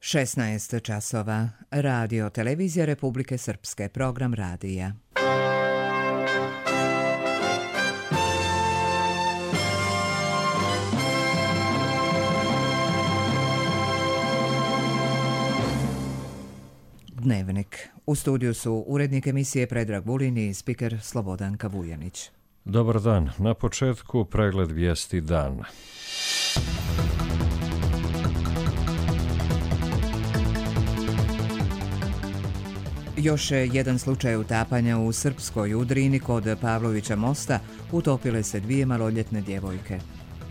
16 časova. Radio Televizija Republike Srpske. Program radija. Dnevnik. U studiju su urednik emisije Predrag Vulin i spiker Slobodanka Vujanić. Dobar dan. Na početku pregled vijesti dana. Još jedan slučaj utapanja u Srpskoj. U Drini kod Pavlovića mosta utopile se 2 maloljetne djevojke.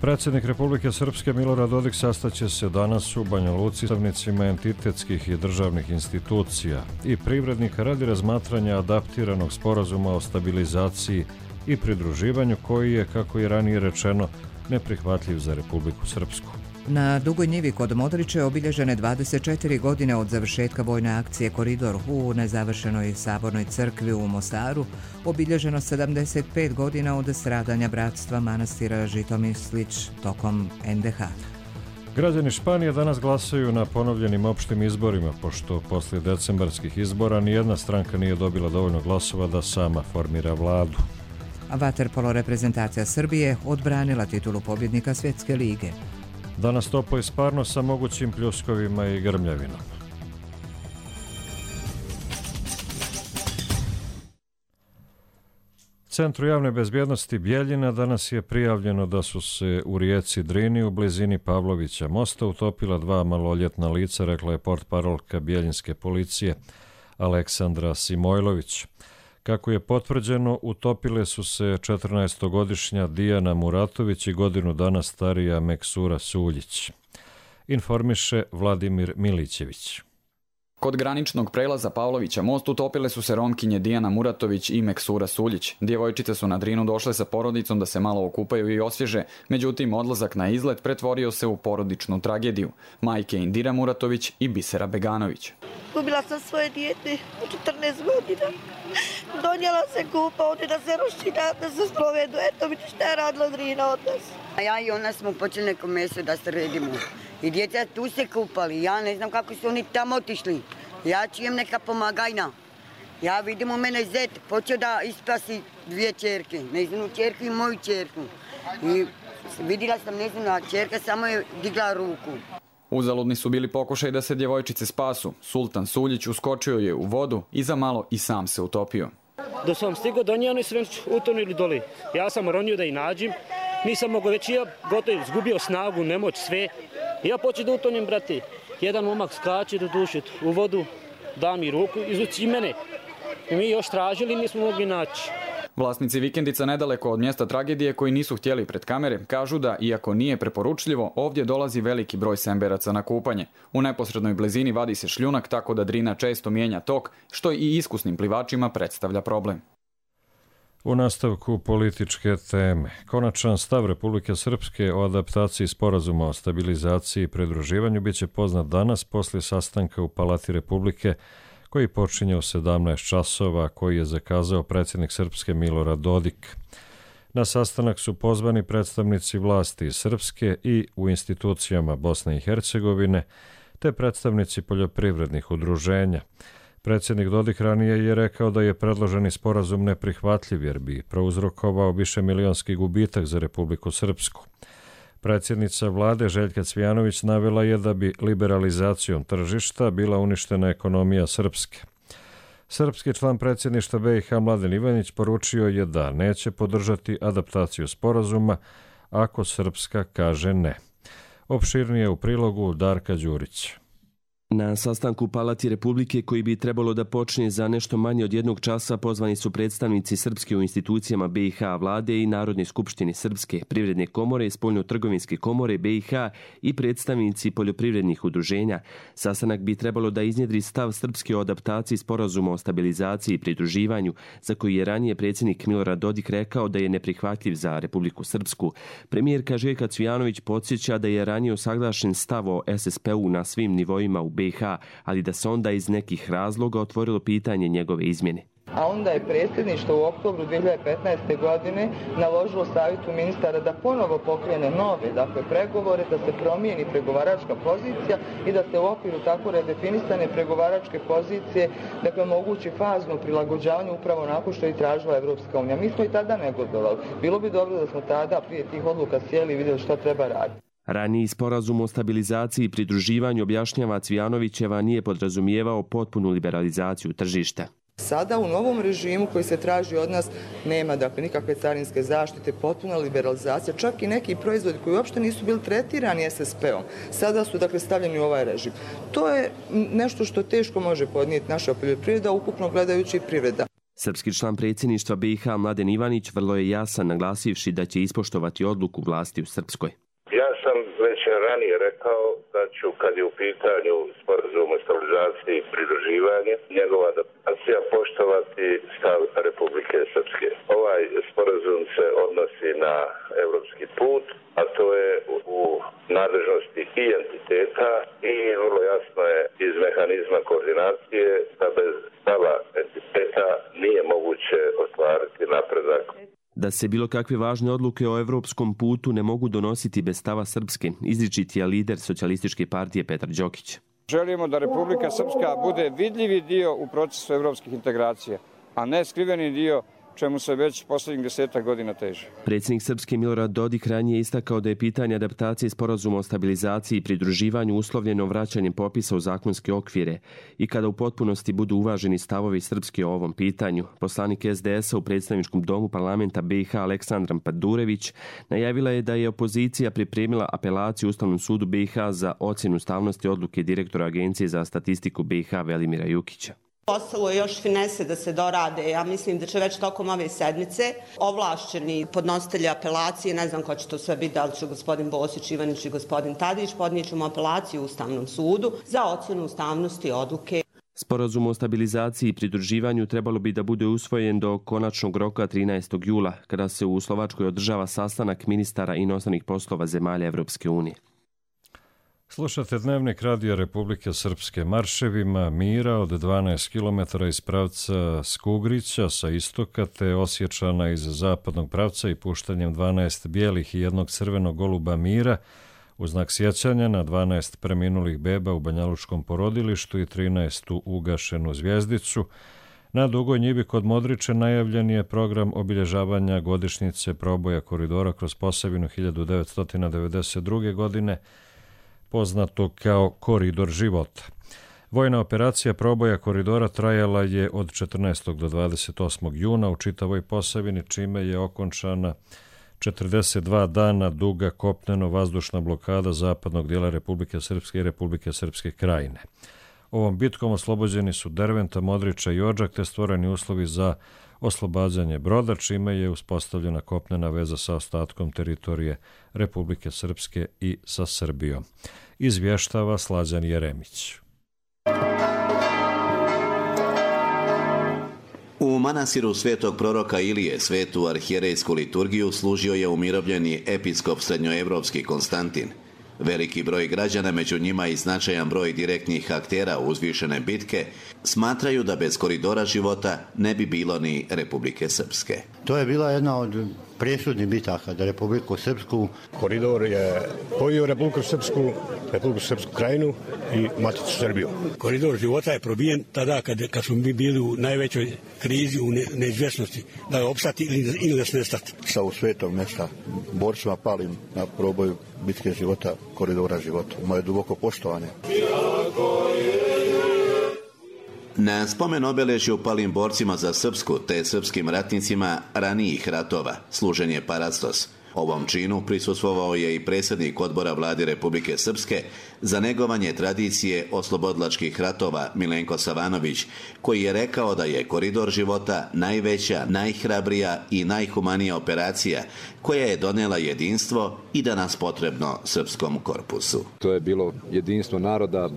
Predsjednik Republike Srpske Milorad Dodik sastaće se danas u Banja Luci s predstavnicima entitetskih i državnih institucija i privrednika radi razmatranja adaptiranog sporazuma o stabilizaciji i pridruživanju koji je, kako je ranije rečeno, neprihvatljiv za Republiku Srpsku. Na Dugoj njivi kod Modriče obilježene 24 godine od završetka vojne akcije Koridor u nezavršenoj Sabornoj crkvi u Mostaru, obilježeno 75 godina od stradanja bratstva manastira Žitomislić tokom NDH. Građani Španije danas glasaju na ponovljenim opštim izborima, pošto poslije decembarskih izbora nijedna stranka nije dobila dovoljno glasova da sama formira vladu. Vaterpolo reprezentacija Srbije odbranila titulu pobjednika Svjetske lige. Danas toplo i sparno sa mogućim pljuskovima i grmljavinom. Centru javne bezbjednosti Bijeljina danas je prijavljeno da su se u rijeci Drini u blizini Pavlovića mosta utopila 2 maloljetna lica, rekla je portparolka bijeljinske policije Aleksandra Simojlović. Kako je potvrđeno, utopile su se 14-godišnja Dijana Muratović i godinu dana starija Meksura Suljić. Informiše Vladimir Milićević. Kod graničnog prelaza Pavlovića most utopile su se Romkinje Dijana Muratović i Meksura Suljić. Djevojčice su na Drinu došle sa porodicom da se malo okupaju i osvježe, međutim odlazak na izlet pretvorio se u porodičnu tragediju. Majke Indira Muratović i Bisera Beganović. Gubila sam svoje dijete u 14 godina. Donijela se kupa ovdje da se roština, da se sprovedu. Eto vidite šta je radila Drina od nas. A ja i ona smo počeli neko mjesto da se redimo. I djeca tu se kupali. Ja ne znam kako su oni tamo otišli. Ja čujem neka pomagajna. Ja vidim u mene zet počeo da ispasi 2 čerke. Njezinu čerku i moju čerku. I vidjela sam njezina čerka, samo je digla ruku. Uzaludni su bili pokušaj da se djevojčice spasu. Sultan Suljić uskočio je u vodu i za malo i sam se utopio. Da sam stigao do nje, oni su već utonili doli. Ja sam ronio da ih nađem. Nisam mogao već, ja gotovo izgubio snagu, nemoć, sve. Ja počeo da utonim, brate. Jedan momak skače do duše u vodu, da mi ruku, izvuci mene. I mi još tražili, nismo mogli naći. Vlasnici vikendica nedaleko od mjesta tragedije koji nisu htjeli pred kamere kažu da, iako nije preporučljivo, ovdje dolazi veliki broj semberaca na kupanje. U neposrednoj blizini vadi se šljunak tako da Drina često mijenja tok, što i iskusnim plivačima predstavlja problem. U nastavku političke teme. Konačan stav Republike Srpske o adaptaciji sporazuma o stabilizaciji i pridruživanju biće poznat danas poslije sastanka u Palati Republike koji počinje u 17 časova, koji je zakazao predsjednik Srpske Milorad Dodik. Na sastanak su pozvani predstavnici vlasti iz Srpske i u institucijama Bosne i Hercegovine, te predstavnici poljoprivrednih udruženja. Predsjednik Dodik ranije je rekao da je predloženi sporazum neprihvatljiv jer bi prouzrokovao višemilionski gubitak za Republiku Srpsku. Predsjednica vlade Željka Cvijanović navela je da bi liberalizacijom tržišta bila uništena ekonomija Srpske. Srpski član predsjedništva BiH Mladen Ivanić poručio je da neće podržati adaptaciju sporazuma ako Srpska kaže ne. Opširnije u prilogu Darka Đurić. Na sastanku u Palati Republike koji bi trebalo da počne za nešto manje od 1 časa pozvani su predstavnici Srpske u institucijama BiH vlade i Narodne skupštine Srpske, Privredne komore, Spoljno-trgovinske komore BiH i predstavnici poljoprivrednih udruženja. Sastanak bi trebalo da iznjedri stav Srpske o adaptaciji sporazuma o stabilizaciji i pridruživanju, za koji je ranije predsjednik Milorad Dodik rekao da je neprihvatljiv za Republiku Srpsku. Premijerka Željka Cvijanović podsjeća da je ranije usaglašen stav o SSP-u na svim nivoima u BiH, ali da se onda iz nekih razloga otvorilo pitanje njegove izmjene. a onda je predsjedništvo u oktobru 2015. godine naložilo savjetu ministara da ponovo pokrene nove, dakle, pregovore, da se promijeni pregovaračka pozicija i da se u okviru tako redefinisane pregovaračke pozicije, dakle, omogući fazno prilagođavanje upravo onako što je tražila Evropska unija. Mi smo i tada negodovali. Bilo bi dobro da smo tada prije tih odluka sjeli i vidjeli što treba raditi. Raniji sporazum o stabilizaciji i pridruživanju, objašnjava Cvijanovićeva, nije podrazumijevao potpunu liberalizaciju tržišta. Sada u novom režimu koji se traži od nas nema, dakle, nikakve carinske zaštite, potpuna liberalizacija, čak i neki proizvodi koji uopšte nisu bili tretirani SSP-om, sada su, dakle, stavljeni u ovaj režim. To je nešto što teško može podnijeti naša poljoprivreda, ukupno gledajući privreda. Srpski član predsjedništva BiH Mladen Ivanić vrlo je jasan, naglasivši da će ispoštovati odluku vlasti u Srpskoj. Ja sam već ranije rekao da ću, kad je u pitanju sporazum o stabilizaciji i pridruživanje, njegova adaptacija poštovati stav Republike Srpske. Ovaj sporazum se odnosi na evropski put, a to je u nadležnosti i entiteta i vrlo jasno je iz mehanizma koordinacije da bez stava entiteta nije moguće ostvariti napredak. Da se bilo kakve važne odluke o evropskom putu ne mogu donositi bez stava Srpske, izričiti je lider Socijalističke partije Petar Đokić. Želimo da Republika Srpska bude vidljivi dio u procesu evropskih integracija, a ne skriveni dio čemu se već posljednjih 10 godina teže. Predsjednik Srpske Milorad Dodik ranije istakao da je pitanje adaptacije sporazuma o stabilizaciji i pridruživanju uslovljeno vraćanjem popisa u zakonske okvire i kada u potpunosti budu uvaženi stavovi Srpske o ovom pitanju. Poslanik SDS-a u predstavničkom domu parlamenta BiH Aleksandra Padurević najavila je da je opozicija pripremila apelaciju Ustavnom sudu BiH za ocjenu ustavnosti odluke direktora Agencije za statistiku BiH Velimira Jukića. Ostalo je još finese da se dorade. Ja mislim da će već tokom ove sedmice ovlašćeni podnositelji apelacije, ne znam ko će to sve biti, da li će gospodin Bosić, Ivanić i gospodin Tadić, podnijet ćemo apelaciju Ustavnom sudu za ocjenu ustavnosti odluke. Sporazum o stabilizaciji i pridruživanju trebalo bi da bude usvojen do konačnog roka 13. jula, kada se u Slovačkoj održava sastanak ministara inostranih poslova zemalja Evropske unije. Slušate Dnevnik Radija Republike Srpske. Marševima mira od 12 km iz pravca Skugrića sa istoka te Osječana iz zapadnog pravca i puštanjem 12 bijelih i jednog crvenog goluba mira u znak sjećanja na 12 preminulih beba u Banjalučkom porodilištu i 13. ugašenu zvjezdicu. Na Dugoj njivi kod Modriče najavljen je program obilježavanja godišnjice proboja koridora kroz Posavinu 1992. godine, poznato kao Koridor života. Vojna operacija proboja koridora trajala je od 14. do 28. juna u čitavoj Posavini, čime je okončana 42 dana duga kopneno-vazdušna blokada zapadnog dijela Republike Srpske i Republike Srpske krajine. Ovom bitkom oslobođeni su Derventa, Modriča i Odžak te stvoreni uslovi za oslobađanje broda, čime je uspostavljena kopnena veza sa ostatkom teritorije Republike Srpske i sa Srbijom. Izvještava Slađan Jeremić. U manastiru svetog proroka Ilije svetu arhijerejsku liturgiju služio je umirovljeni episkop srednjoevropski Konstantin. Veliki broj građana, među njima i značajan broj direktnih aktera uzvišene bitke, smatraju da bez koridora života ne bi bilo ni Republike Srpske. To je bila jedna od presudnih bitaka za Republiku Srpsku. Koridor je spojio Republiku Srpsku krajinu i Maticu Srbiju. Koridor života je probijen tada kad smo mi bili u najvećoj krizi, u neizvjesnosti, da je opstati ili da se nestati. Sa u svetog mjesta borcima palim na proboju bitke života, koridora života. Moje duboko poštovanje. Na spomen obeležju palim borcima za Srpsku te srpskim ratnicima ranijih ratova služen je parastos. Ovom činu prisustvovao je i predsjednik odbora vlade Republike Srpske za negovanje tradicije oslobodilačkih ratova Milenko Savanović, koji je rekao da je koridor života najveća, najhrabrija i najhumanija operacija koja je donela jedinstvo i danas potrebno srpskom korpusu. To je bilo jedinstvo naroda,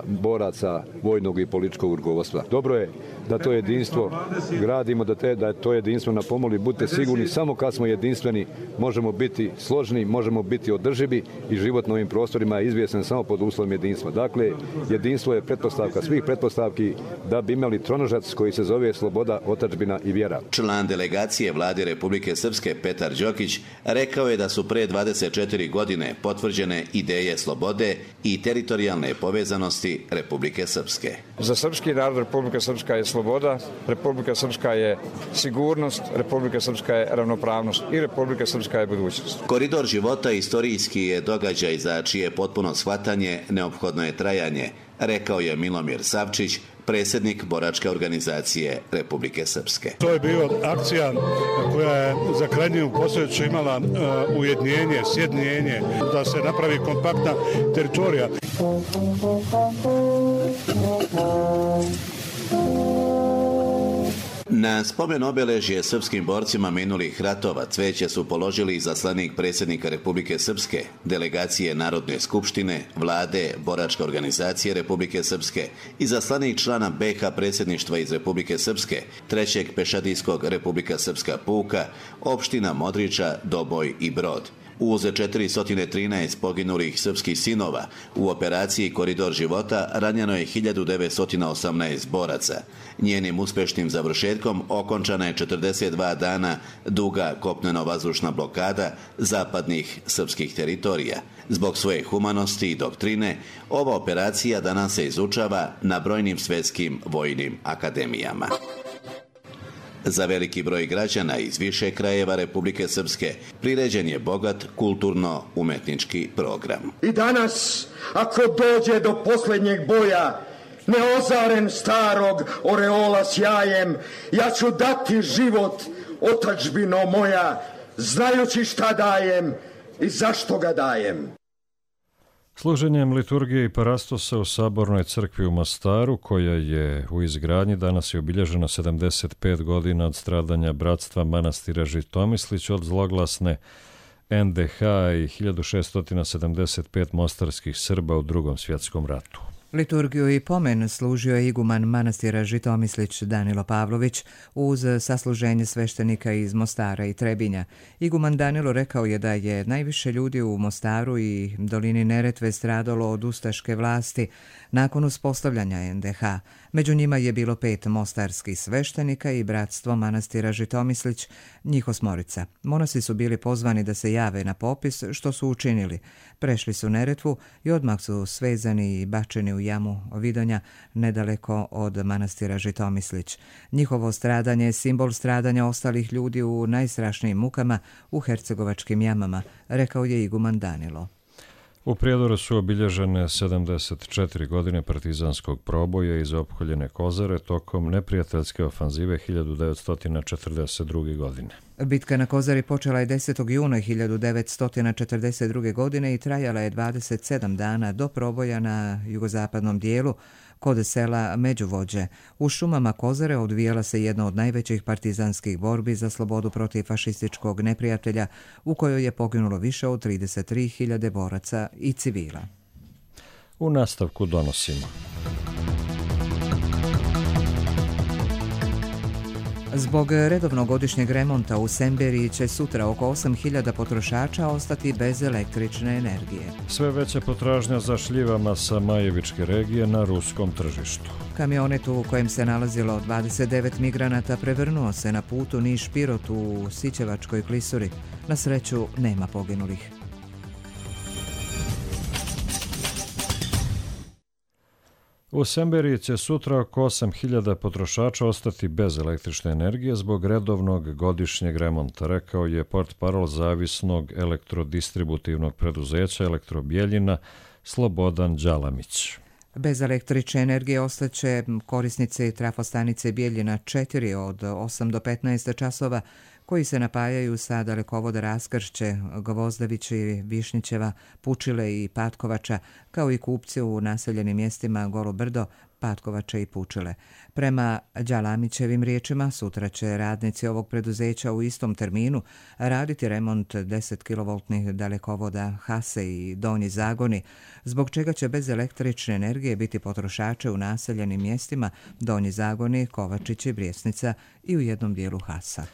boraca, vojnog i političkog rukovodstva. Dobro je da to jedinstvo gradimo, da to jedinstvo na pomoli. Budite sigurni, samo kad smo jedinstveni možemo možemo biti složni, možemo biti održivi i život na ovim prostorima je izvjestan samo pod uslovom jedinstva. Dakle, jedinstvo je pretpostavka svih pretpostavki da bi imali tronožac koji se zove sloboda, otadžbina i vjera. Član delegacije Vlade Republike Srpske Petar Đokić rekao je da su pre 24 godine potvrđene ideje slobode i teritorijalne povezanosti Republike Srpske. Za srpski narod Republika Srpska je sloboda, Republika Srpska je sigurnost, Republika Srpska je ravnopravnost i Republika Srpska je budućnost. Koridor života istorijski je događaj za čije potpuno shvatanje neophodno je trajanje, rekao je Milomir Savčić, predsjednik boračke organizacije Republike Srpske. To je bila akcija koja je za krajnju posljedicu imala ujedinjenje, sjedinjenje, da se napravi kompaktna teritorija. Na spomen obeležje srpskim borcima minulih ratova cveće su položili izaslanik predsjednika Republike Srpske, delegacije Narodne skupštine, Vlade, boračke organizacije Republike Srpske, izaslanik člana BiH predsjedništva iz Republike Srpske, 3. pešadijskog Republika Srpska puka, opština Modriča, Doboj i Brod. Uz 413 poginulih srpskih sinova u operaciji Koridor života ranjeno je 1918 boraca. Njenim uspešnim završetkom okončana je 42 dana duga kopneno-vazdušna blokada zapadnih srpskih teritorija. Zbog svoje humanosti i doktrine, ova operacija danas se izučava na brojnim svjetskim vojnim akademijama. Za veliki broj građana iz više krajeva Republike Srpske priređen je bogat kulturno-umetnički program. I danas, ako dođe do posljednjeg boja, neozaren starog oreola sjajem, ja ću dati život, otadžbino moja, znajući šta dajem i zašto ga dajem. Služenjem liturgije i parastosa u Sabornoj crkvi u Mostaru, koja je u izgradnji, danas je obilježeno 75 godina od stradanja bratstva manastira Žitomislić od zloglasne NDH i 1675 mostarskih Srba u Drugom svjetskom ratu. Liturgiju i pomen služio je iguman manastira Žitomislić Danilo Pavlović uz sasluženje sveštenika iz Mostara i Trebinja. Iguman Danilo rekao je da je najviše ljudi u Mostaru i dolini Neretve stradalo od ustaške vlasti nakon uspostavljanja NDH. Među njima je bilo 5 mostarskih sveštenika i bratstvo manastira Žitomislić, njih 8. Monasi su bili pozvani da se jave na popis, što su učinili. Prešli su Neretvu i odmah su svezani i bačeni u jamu Vidonja, nedaleko od manastira Žitomislić. Njihovo stradanje je simbol stradanja ostalih ljudi u najstrašnijim mukama u hercegovačkim jamama, rekao je iguman Danilo. U Prijedoru su obilježene 74 godine partizanskog proboja iz opkoljene Kozare tokom neprijateljske ofanzive 1942. godine. Bitka na Kozari počela je 10. juna 1942. godine i trajala je 27 dana do proboja na jugozapadnom dijelu kod sela Međuvođe. U šumama Kozare odvijala se jedna od najvećih partizanskih borbi za slobodu protiv fašističkog neprijatelja u kojoj je poginulo više od 33.000 boraca i civila. U nastavku donosimo. Zbog redovnog godišnjeg remonta u Semberiji će sutra oko 8.000 potrošača ostati bez električne energije. Sve veća potražnja za šljivama sa Majevičke regije na ruskom tržištu. Kamionet u kojem se nalazilo 29 migranata prevrnuo se na putu Niš-Pirot u Sićevačkoj klisuri. Na sreću nema poginulih. U Semberiji će sutra oko 8.000 potrošača ostati bez električne energije zbog redovnog godišnjeg remonta, rekao je portparol zavisnog elektrodistributivnog preduzeća Elektrobijeljina Slobodan Đalamić. Bez električne energije ostaće korisnice trafostanice Bijeljina 4 od 8 do 15 časova koji se napajaju sa dalekovoda Raskršće, Gvozdevići, Višnjićeva, Pučile i Patkovača, kao i kupci u naseljenim mjestima Golo Brdo, Patkovača i Pučile. Prema Đalamićevim riječima, sutra će radnici ovog preduzeća u istom terminu raditi remont 10 kV dalekovoda Hase i Donji Zagoni, zbog čega će bez električne energije biti potrošače u naseljenim mjestima Donji Zagoni, Kovačići, Brijesnica i u jednom dijelu Hasa.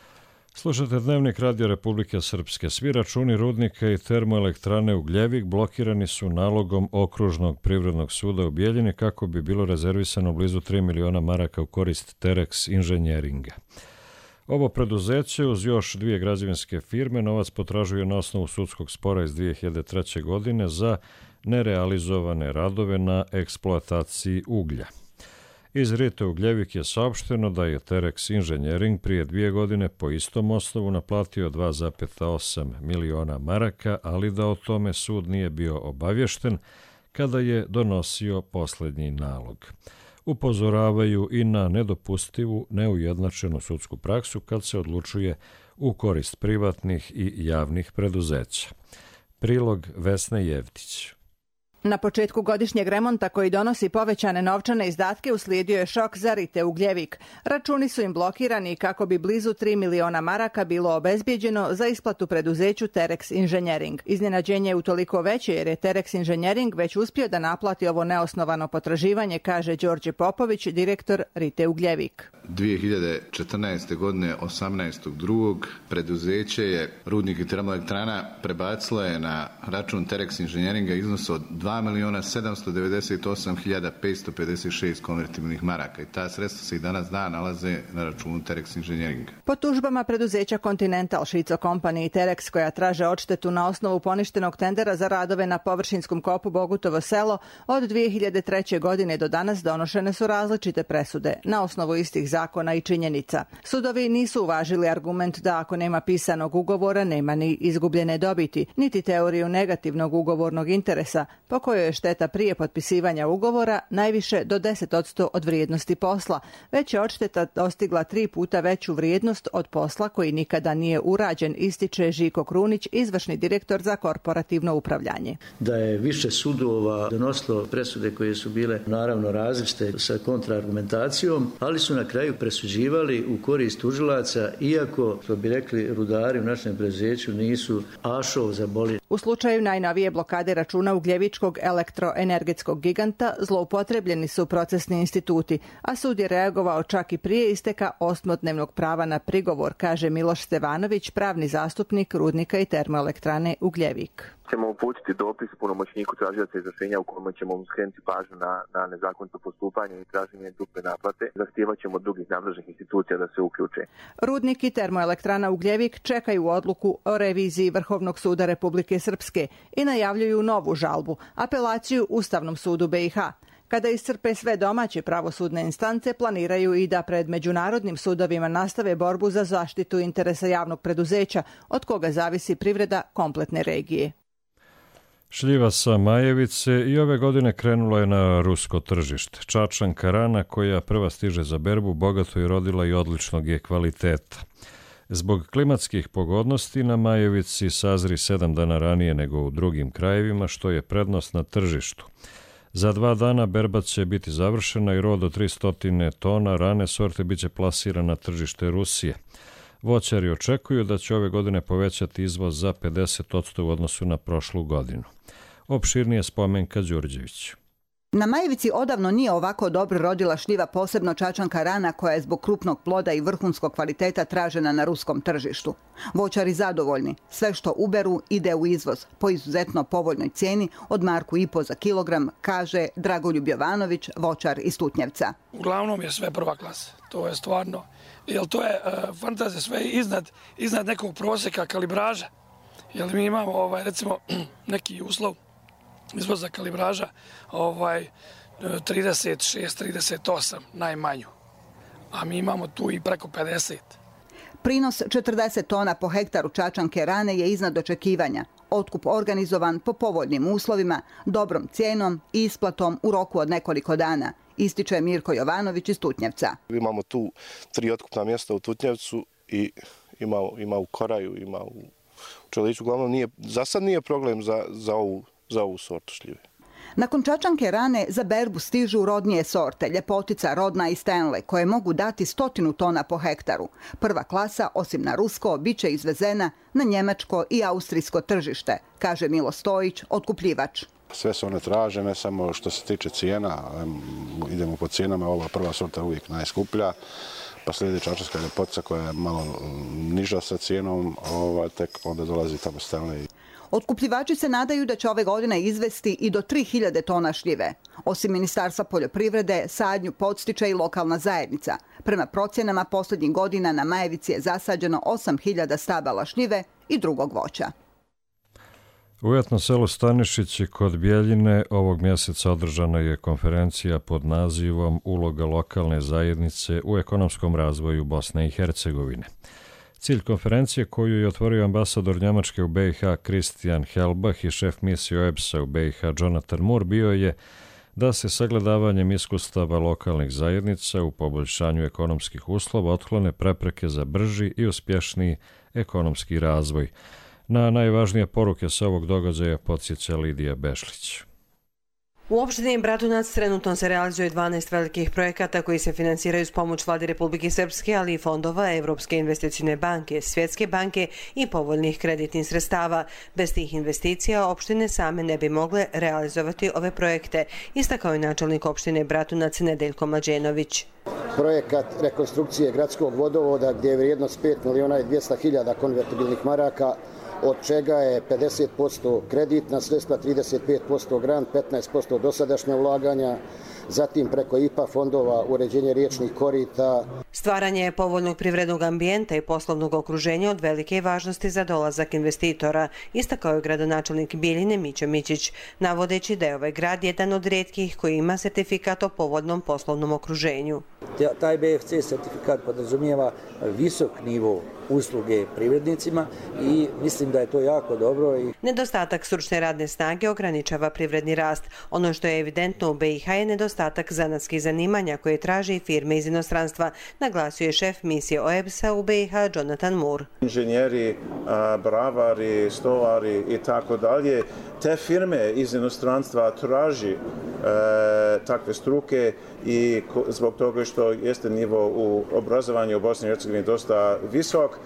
Slušate Dnevnik Radio Republike Srpske. Svi računi rudnika i termoelektrane Ugljevik blokirani su nalogom Okružnog privrednog suda u Bijeljini kako bi bilo rezervisano blizu 3 miliona maraka u korist Terex inženjeringa. Ovo preduzeće uz još dvije građevinske firme novac potražuje na osnovu sudskog spora iz 2003. godine za nerealizovane radove na eksploataciji uglja. Iz RITE Ugljevik je saopšteno da je Terex inženjering prije 2 godine po istom osnovu naplatio 2,8 miliona maraka, ali da o tome sud nije bio obavješten kada je donosio posljednji nalog. Upozoravaju i na nedopustivu, neujednačenu sudsku praksu kad se odlučuje u korist privatnih i javnih preduzeća. Prilog Vesne Jevtić. Na početku godišnjeg remonta koji donosi povećane novčane izdatke uslijedio je šok za RITE Ugljevik. Računi su im blokirani kako bi blizu 3 miliona maraka bilo obezbijeđeno za isplatu preduzeću Terex inženjering. Iznenađenje je utoliko veće jer je Terex inženjering već uspio da naplati ovo neosnovano potraživanje, kaže Đorđe Popović, direktor RITE Ugljevik. 2014. godine 18.2. preduzeće je Rudnik i termoelektrana prebacilo je na račun Terex inženjeringa iznos od 2.798.556 konvertibilnih maraka i ta sredstva se i danas nalaze na računu Terex inženjeringa. Po tužbama preduzeća Continental, Šico Company i Terex koja traže odštetu na osnovu poništenog tendera za radove na površinskom kopu Bogutovo selo, od 2003. godine do danas donošene su različite presude na osnovu istih zakona i činjenica. Sudovi nisu uvažili argument da ako nema pisanog ugovora nema ni izgubljene dobiti, niti teoriju negativnog ugovornog interesa, po kojoj je šteta prije potpisivanja ugovora najviše do 10% od vrijednosti posla, već je odšteta dostigla 3 puta veću vrijednost od posla koji nikada nije urađen, ističe Žiko Krunić, izvršni direktor za korporativno upravljanje. Da je više sudova donosilo presude koje su bile naravno različite sa kontraargumentacijom, ali su na kraju presuđivali u korist tužilaca, iako, što bi rekli rudari u našem preduzeću, nisu ašov za boli. U slučaju najnovije blokade računa Ugljevičkog elektroenergetskog giganta zloupotrebljeni su procesni instituti, a sud je reagovao čak i prije isteka 8-dnevnog prava na prigovor, kaže Miloš Stevanović, pravni zastupnik Rudnika i termoelektrane Ugljevik. Ćemo uputiti dopis punomoćniku tražioca izvršenja u kojem ćemo skrenuti pažnju na nezakonito postupanje i traženje duple naplate. Zahtijevat ćemo od drugih nadležnih institucija da se uključe. Rudnik i termoelektrana Ugljevik čekaju odluku o reviziji Vrhovnog suda Republike Srpske i najavljuju novu žalbu, apelaciju Ustavnom sudu BiH. Kada iscrpe sve domaće pravosudne instance, planiraju i da pred međunarodnim sudovima nastave borbu za zaštitu interesa javnog preduzeća, od koga zavisi privreda kompletne regije. Šljiva sa Majevice i ove godine krenula je na rusko tržište. Čačanka rana koja prva stiže za berbu, bogato je rodila i odličnog je kvaliteta. Zbog klimatskih pogodnosti na Majevici sazri 7 dana ranije nego u drugim krajevima, što je prednost na tržištu. Za 2 dana berba će biti završena i rod od 300 tona rane sorte biće plasiran na tržište Rusije. Voćari očekuju da će ove godine povećati izvoz za 50% u odnosu na prošlu godinu. Opširnije Spomenka Đurđević. Na Majevici odavno nije ovako dobro rodila šljiva, posebno čačanka rana koja je zbog krupnog ploda i vrhunskog kvaliteta tražena na ruskom tržištu. Voćari zadovoljni. Sve što uberu ide u izvoz po izuzetno povoljnoj cijeni od 1,5 marku za kilogram, kaže Dragoljub Jovanović, voćar iz Tutnjevca. Uglavnom je sve prva klasa. To je stvarno, jer to je fantazija sve iznad nekog prosjeka kalibraža. Jer mi imamo recimo neki uslov izvoza kalibraža 36-38 najmanju, a mi imamo tu i preko 50. Prinos 40 tona po hektaru čačanke rane je iznad očekivanja. Otkup organizovan po povoljnim uslovima, dobrom cijenom i isplatom u roku od nekoliko dana, ističe Mirko Jovanović iz Tutnjevca. Imamo tu 3 otkupna mjesta u Tutnjevcu i ima u Koraju, ima u Čeliću. Uglavnom za sad nije problem za ovu sortu šljive. Nakon čačanke rane za berbu stižu rodnije sorte, Ljepotica, Rodna i Stanley, koje mogu dati 100 tona po hektaru. Prva klasa, osim na rusko, biće izvezena na njemačko i austrijsko tržište, kaže Milo Stojić, otkupljivač. Sve su one tražene, samo što se tiče cijena, idemo po cijenama, ova prva sorta uvijek najskuplja. pa slijedi Čačanska ljepotica koja je malo niža sa cijenom, tek onda dolazi tamo Stanley. Otkupljivači se nadaju da će ove godine izvesti i do 3000 tona šljive. Osim Ministarstva poljoprivrede, sadnju podstiče i lokalna zajednica. Prema procjenama posljednjih godina na Majevici je zasađeno 8000 stabala šljive i drugog voća. U etno selu Stanišići kod Bjeljine ovog mjeseca održana je konferencija pod nazivom Uloga lokalne zajednice u ekonomskom razvoju Bosne i Hercegovine. Cilj konferencije, koju je otvorio ambasador Njemačke u BiH Christian Helbach i šef misije OEBS-a u BiH Jonathan Moore, bio je da se sagledavanjem iskustava lokalnih zajednica u poboljšanju ekonomskih uslova otklone prepreke za brži i uspješniji ekonomski razvoj. Na najvažnije poruke sa ovog događaja podsjeća Lidija Bešlić. U opštini Bratunac trenutno se realizuje 12 velikih projekata koji se finansiraju s pomoć Vlade Republike Srpske, ali i fondova Evropske investicijne banke, Svjetske banke i povoljnih kreditnih sredstava. Bez tih investicija opštine same ne bi mogle realizovati ove projekte, istakao je načelnik opštine Bratunac Nedeljko Mlađenović. Projekat rekonstrukcije gradskog vodovoda gdje je vrijednost 5.200.000 konvertibilnih maraka, od čega je 50% kreditna sredstva, 35% grant, 15% dosadašnja ulaganja, zatim preko IPA fondova uređenje riječnih korita. Stvaranje povoljnog privrednog ambijenta i poslovnog okruženja od velike je važnosti za dolazak investitora, istakao je gradonačelnik Bijeljine Mićo Mićić, navodeći da je ovaj grad jedan od rijetkih koji ima sertifikat o povoljnom poslovnom okruženju. Taj BFC sertifikat podrazumijeva visok nivo usluge privrednicima i mislim da je to jako dobro. Nedostatak stručne radne snage ograničava privredni rast. Ono što je evidentno u BiH je nedostatak zanatskih zanimanja koje traže i firme iz inostranstva, naglasio je šef misije OEBS-a u BiH Jonathan Moore. Inženjeri, bravari, stovari i tako dalje, te firme iz inostranstva traži takve struke i zbog toga što jeste nivo u obrazovanju u Bosni i Hercegovini dosta visok,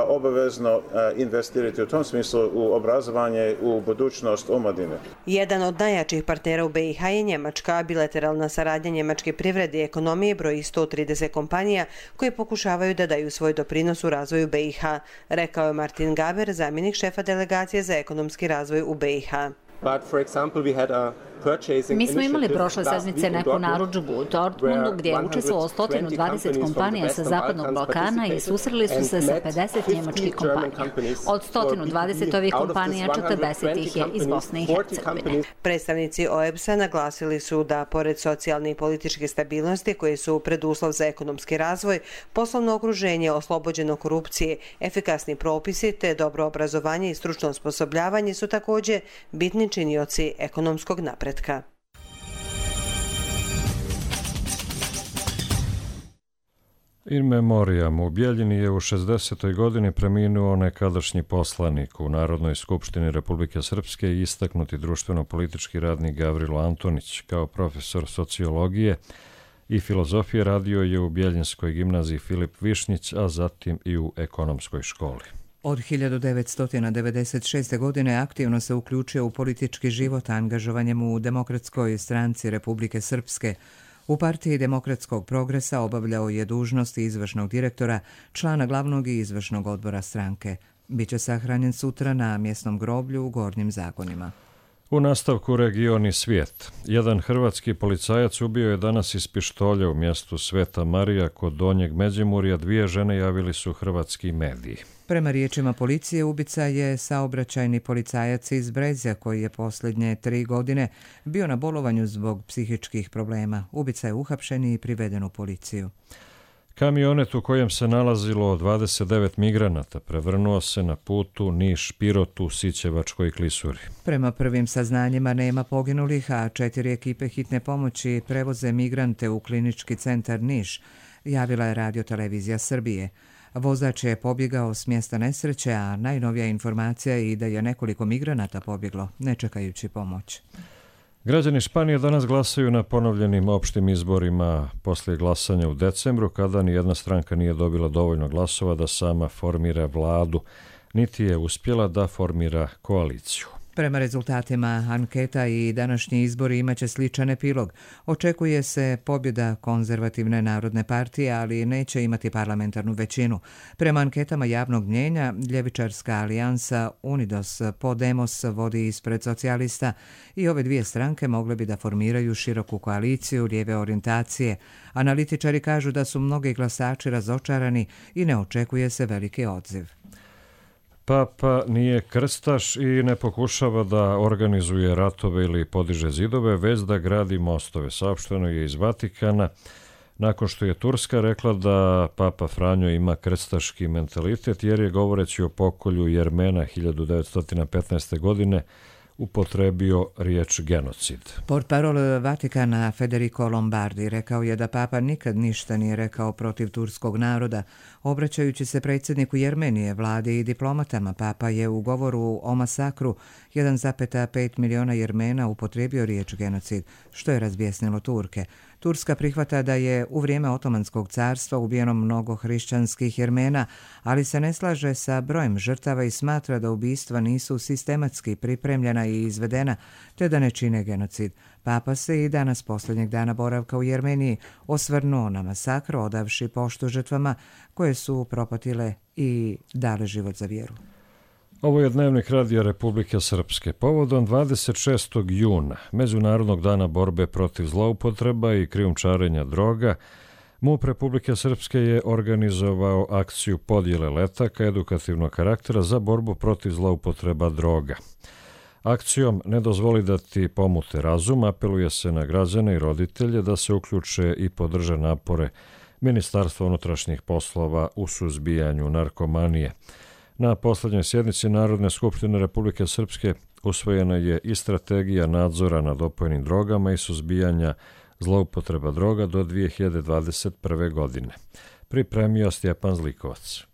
obavezno investirati u tom smislu u obrazovanje, u budućnost omladine. Jedan od najjačih partnera u BiH je Njemačka. Bilateralna saradnja njemačke privrede i ekonomije broji 130 kompanija koje pokušavaju da daju svoj doprinos u razvoju BiH, rekao je Martin Gaber, zamjenik šefa delegacije za ekonomski razvoj u BiH. Mi smo imali prošle sedmice neku narudžbu u Dortmundu gdje je učestvovalo 120 kompanija sa Zapadnog Balkana i susreli su se sa 50 njemačkih kompanija. Od 120 ovih kompanija 40 ih je iz Bosne i Hercegovine. Predstavnici OEBS-a naglasili su da pored socijalne i političke stabilnosti koje su preduslov za ekonomski razvoj, poslovno okruženje oslobođeno korupcije, efikasni propisi te dobro obrazovanje i stručno osposobljavanje su također bitni činioci ekonomskog napretka. In memoriam u Bjeljini je u 60. godini preminuo nekadašnji poslanik u Narodnoj skupštini Republike Srpske i istaknuti društveno-politički radnik Gavrilo Antonić. Kao profesor sociologije i filozofije radio je u Bjeljinskoj gimnaziji Filip Višnjić, a zatim i u ekonomskoj školi. Od 1996. godine aktivno se uključio u politički život angažovanjem u Demokratskoj stranci Republike Srpske. U partiji Demokratskog progresa obavljao je dužnosti izvršnog direktora, člana glavnog i izvršnog odbora stranke. Biće sahranjen sutra na mjesnom groblju u Gornjim Zakonima. U nastavku region i svijet. Jedan hrvatski policajac ubio je danas iz pištolja u mjestu Sveta Marija kod Donjeg Međimurja. 2 žene javili su hrvatski mediji. Prema riječima policije, ubica je saobraćajni policajac iz Brezja koji je posljednje 3 godine bio na bolovanju zbog psihičkih problema. Ubica je uhapšen i priveden u policiju. Kamionet u kojem se nalazilo 29 migranata prevrnuo se na putu Niš-Pirot u Sićevačkoj klisuri. Prema prvim saznanjima nema poginulih, a 4 ekipe hitne pomoći prevoze migrante u klinički centar Niš, javila je Radio-televizija Srbije. Vozač je pobjegao s mjesta nesreće, a najnovija informacija je i da je nekoliko migranata pobjeglo, ne čekajući pomoć. Građani Španije danas glasaju na ponovljenim opštim izborima poslije glasanja u decembru, kada nijedna stranka nije dobila dovoljno glasova da sama formira vladu, niti je uspjela da formira koaliciju. Prema rezultatima anketa i današnji izbori imaće sličan epilog. Očekuje se pobjeda konzervativne narodne partije, ali neće imati parlamentarnu većinu. Prema anketama javnog mnjenja, ljevičarska alijansa Unidos Podemos vodi ispred socijalista i ove dvije stranke mogle bi da formiraju široku koaliciju lijeve orijentacije. Analitičari kažu da su mnogi glasači razočarani i ne očekuje se veliki odziv. Papa nije krstaš i ne pokušava da organizuje ratove ili podiže zidove, već da gradi mostove. Saopšteno je iz Vatikana, nakon što je Turska rekla da Papa Franjo ima krstaški mentalitet, jer je govoreći o pokolju Jermena 1915. godine upotrebio riječ genocid. Portparol Vatikana Federico Lombardi rekao je da Papa nikad ništa nije rekao protiv turskog naroda. Obraćajući se predsjedniku Jermenije, vladi i diplomatama, Papa je u govoru o masakru 1,5 miliona Jermena upotrijebio riječ genocid, što je razbjesnilo Turke. Turska prihvata da je u vrijeme Otomanskog carstva ubijeno mnogo hrišćanskih Jermena, ali se ne slaže sa brojem žrtava i smatra da ubistva nisu sistematski pripremljena i izvedena, te da ne čine genocid. Papa se i danas posljednjeg dana boravka u Jermeniji osvrnuo na masakr, odavši poštu žrtvama koje su propatile i dale život za vjeru. Ovo je Dnevnik Radija Republike Srpske. Povodom 26. juna, Međunarodnog dana borbe protiv zloupotreba i krijumčarenja droga, MUP Republike Srpske je organizovao akciju podjele letaka edukativnog karaktera za borbu protiv zloupotreba droga. Akcijom Ne dozvoli da ti pomute razum apeluje se na građane i roditelje da se uključe i podrže napore Ministarstva unutrašnjih poslova u suzbijanju narkomanije. Na posljednjoj sjednici Narodne skupštine Republike Srpske usvojena je i strategija nadzora nad opojnim drogama i suzbijanja zloupotreba droga do 2021. godine. Pripremio Stjepan Zlikovac.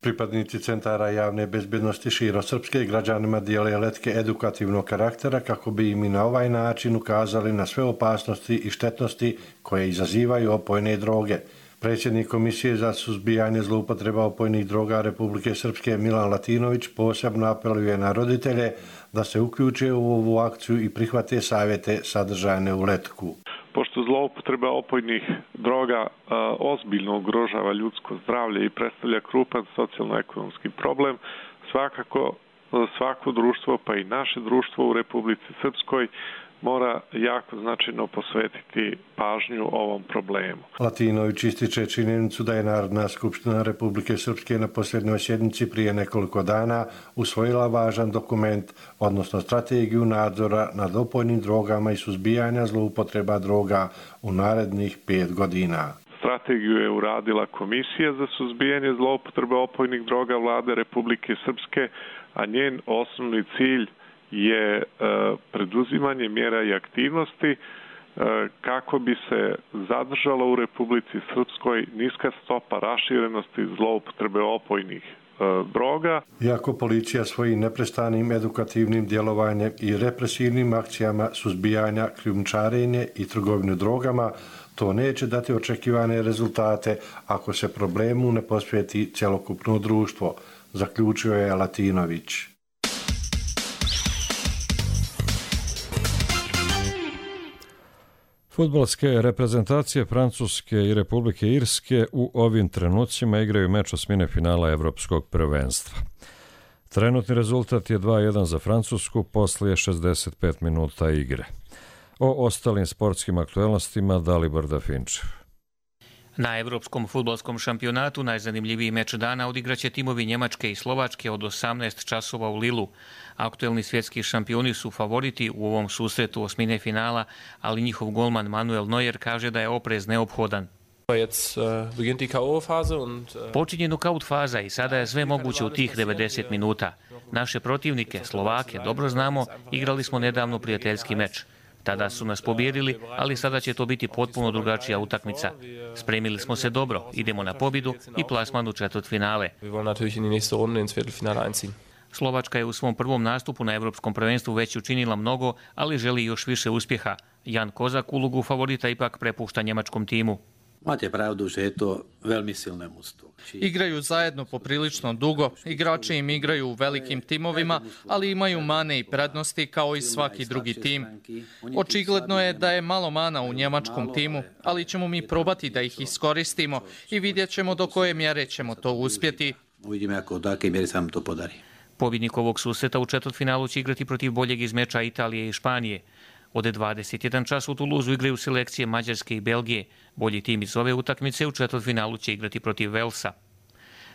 Pripadnici centara javne bezbjednosti širom Srpske građanima dijele letke edukativnog karaktera kako bi im i na ovaj način ukazali na sve opasnosti i štetnosti koje izazivaju opojne droge. Predsjednik Komisije za suzbijanje zloupotreba opojnih droga Republike Srpske Milan Latinović posebno apeluje na roditelje da se uključe u ovu akciju i prihvate savjete sadržane u letku. Pošto zloupotreba opojnih droga ozbiljno ugrožava ljudsko zdravlje i predstavlja krupan socijalno-ekonomski problem, svakako svako društvo, pa i naše društvo u Republici Srpskoj, mora jako značajno posvetiti pažnju ovom problemu. Latinović ističe činjenicu da je Narodna skupština Republike Srpske na posljednjoj sjednici prije nekoliko dana usvojila važan dokument, odnosno strategiju nadzora nad opojnim drogama i suzbijanja zloupotreba droga u narednih 5 godina. Strategiju je uradila Komisija za suzbijanje zloupotreba opojnih droga Vlade Republike Srpske, a njen osnovni cilj je preduzimanje mjera i aktivnosti kako bi se zadržala u Republici Srpskoj niska stopa raširenosti zloupotrebe opojnih droga. Iako policija svojim neprestanim edukativnim djelovanjem i represivnim akcijama suzbijanja, krijumčarenja i trgovine drogama, to neće dati očekivane rezultate ako se problemu ne posveti cjelokupno društvo, zaključio je Latinović. Fudbalske reprezentacije Francuske i Republike Irske u ovim trenucima igraju meč osmine finala Evropskog prvenstva. Trenutni rezultat je 2:1 za Francusku poslije 65 minuta igre. O ostalim sportskim aktualnostima Dalibor Dafinčev. Na Evropskom fudbalskom šampionatu najzanimljiviji meč dana odigraće timovi Njemačke i Slovačke od 18 časova u Lilu. Aktuelni svjetski šampioni su favoriti u ovom susretu osmine finala, ali njihov golman Manuel Neuer kaže da je oprez neophodan. Počinje nokaut faza i sada je sve moguće u tih 90 minuta. Naše protivnike, Slovake, dobro znamo, igrali smo nedavno prijateljski meč. Tada su nas pobijedili, ali sada će to biti potpuno drugačija utakmica. Spremili smo se dobro, idemo na pobjedu i plasman u četvrtfinale. Slovačka je u svom prvom nastupu na Evropskom prvenstvu već učinila mnogo, ali želi još više uspjeha. Jan Kozak ulogu favorita ipak prepušta njemačkom timu. Máte pravdu, že je to veľmi silné mužstvo. Igraju zajedno poprilično dugo, igrači im igraju u velikim timovima, ali imaju mane i prednosti kao i svaki drugi tim. Očigledno je da je malo mana u njemačkom timu, ali ćemo mi probati da ih iskoristimo i vidjet ćemo do koje mjere ćemo to uspjeti. Uvidíme, ako do akej mjere sa nam to podari. Pobjednik ovog susreta u četvrtfinalu će igrati protiv boljeg iz meča Italije i Španije. Od 21 čas u Tuluzu igraju selekcije Mađarske i Belgije. Bolji tim iz ove utakmice u četvrtfinalu će igrati protiv Velsa.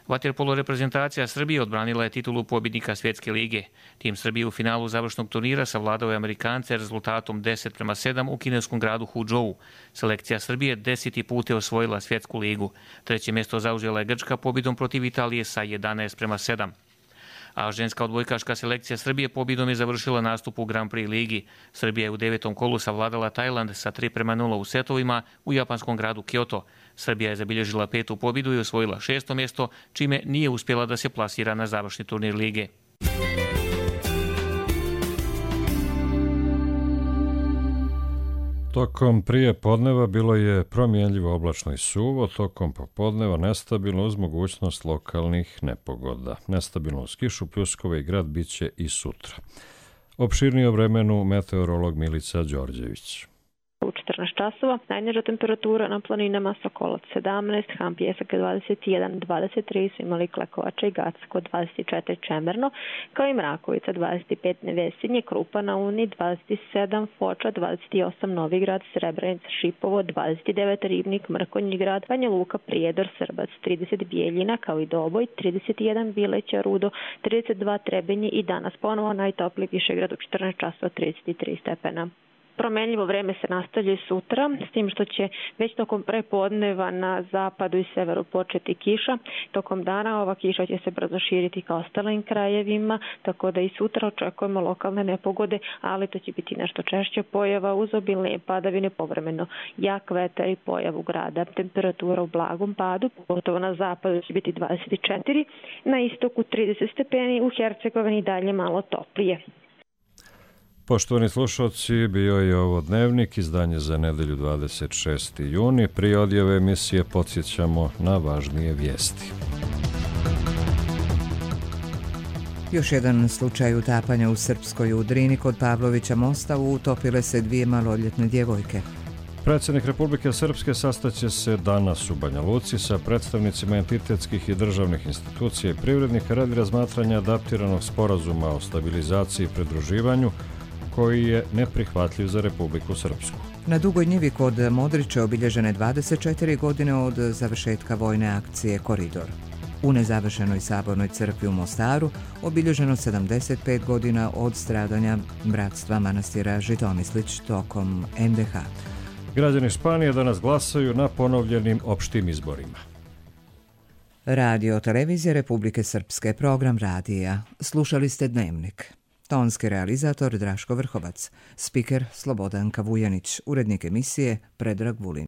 Vaterpolo reprezentacija Srbije odbranila je titulu pobjednika Svjetske lige. Tim Srbije u finalu završnog turnira savladao je Amerikance rezultatom 10:7 u kineskom gradu Huzhou. Selekcija Srbije 10. put je osvojila Svjetsku ligu. Treće mjesto zauzela je Grčka pobjedom protiv Italije sa 11:7. A ženska odbojkaška selekcija Srbije pobjedom je završila nastup u Grand Prix ligi. Srbija je u 9. kolu savladala Tajland sa 3:0 u setovima u japanskom gradu Kyoto. Srbija je zabilježila 5. pobjedu i osvojila 6. mjesto, čime nije uspjela da se plasira na završni turnir lige. Tokom prije podneva bilo je promjenljivo oblačno i suvo, tokom popodneva nestabilno uz mogućnost lokalnih nepogoda. Nestabilno uz kišu, pljuskove i grad bit će i sutra. Opširnije o vremenu meteorolog Milica Đorđević. U 14 časova najniža temperatura na planinama Sokolac 17, Han Pjesak 21, 23 su imali Klekovača i Gacko 24 Čemerno, kao i Mrakovica 25 Nevesinje, Krupa na Uni 27, Foča 28, Novigrad, Srebrenica, Šipovo 29, Ribnik, Mrkonji grad, Banja Luka, Prijedor, Srbac 30, Bijeljina, kao i Doboj 31, Bileća, Rudo 32, Trebinje i danas ponovo najtopliji Višegrad u 14 časova 33 stepena. Promenljivo vreme se nastavlja i sutra, s tim što će već tokom prepodneva na zapadu i severu početi kiša. Tokom dana ova kiša će se brzo širiti ka ostalim krajevima, tako da i sutra očekujemo lokalne nepogode, ali to će biti nešto češće pojava uz obilne padavine, povremeno jak vetar i pojavu grada. Temperatura u blagom padu, pogotovo na zapadu će biti 24, na istoku 30 stepeni, u Hercegovini dalje malo toplije. Poštovani slušalci, bio je ovo Dnevnik, izdanje za nedelju 26. juni. Prije odjave emisije podsjećamo na važnije vijesti. Još jedan slučaj utapanja u Srpskoj u Drini kod Pavlovića mosta, utopile se 2 maloljetne djevojke. Predsjednik Republike Srpske sastaće se danas u Banja Luci sa predstavnicima entitetskih i državnih institucija i privrednika radi razmatranja adaptiranog sporazuma o stabilizaciji i pridruživanju koji je neprihvatljiv za Republiku Srpsku. Na Dugoj njivi kod Modrića obilježene 24 godine od završetka vojne akcije Koridor. U nezavršenoj sabornoj crkvi u Mostaru obilježeno 75 godina od stradanja bratstva manastira Žitomislić tokom NDH. Građani Španije danas glasaju na ponovljenim opštim izborima. Radio Televizija Republike Srpske, program radija. Slušali ste Dnevnik. Tonski realizator Draško Vrhovac, spiker Slobodanka Vujanić, urednik emisije Predrag Vulin.